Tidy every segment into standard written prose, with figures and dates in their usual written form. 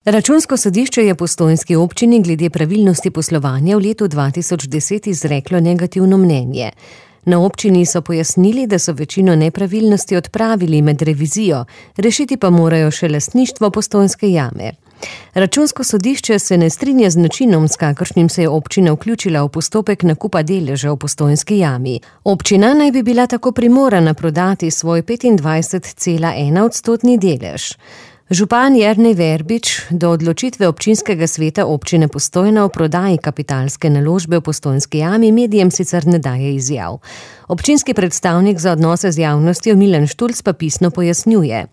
Računsko sodišče je postojnski občini glede pravilnosti poslovanja v letu 2010 izreklo negativno mnenje. Na občini so pojasnili, da so večino nepravilnosti odpravili med revizijo, rešiti pa morajo še lastništvo Postojnske jame. Računsko sodišče se ne strinja z načinom, s kakršnim se je občina vključila v postopek nakupa deleža v Postojnski jami. Občina naj bi bila tako primorana prodati svoj 25,1% delež. Župan Jernej Verbič do odločitve občinskega sveta občine Postojna o prodaji kapitalske naložbe v Postojnski jami medijem sicer ne daje izjav. Občinski predstavnik za odnose z javnostjo Milan Štulc pa pisno pojasnjuje.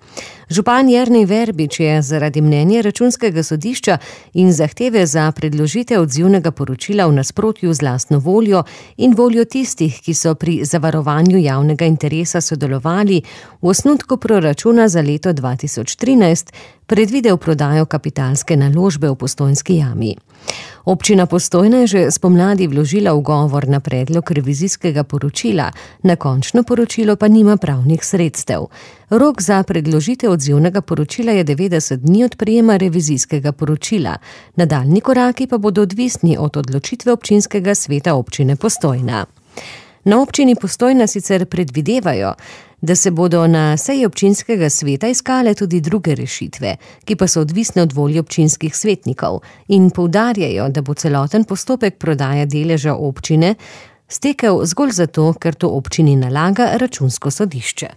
Župan Jernej Verbič je zaradi mnenja Računskega sodišča in zahteve za predložitev odzivnega poročila v nasprotju z lastno voljo in voljo tistih, ki so pri zavarovanju javnega interesa sodelovali, v osnutku proračuna za leto 2013 predvidel prodajo kapitalske naložbe v Postojnski jami. Občina Postojna je že spomladi vložila ugovor na predlog revizijskega poročila, na končno poročilo pa nima pravnih sredstev. Rok za predložitev odzivnega poročila je 90 dni od prejema revizijskega poročila. Nadaljnji koraki pa bodo odvisni od odločitve občinskega sveta občine Postojna. Na občini Postojna sicer predvidevajo, da se bodo na seji občinskega sveta iskale tudi druge rešitve, ki pa so odvisne od volje občinskih svetnikov, in poudarjajo, da bo celoten postopek prodaje deleža občine stekel zgolj zato, ker to občini nalaga Računsko sodišče.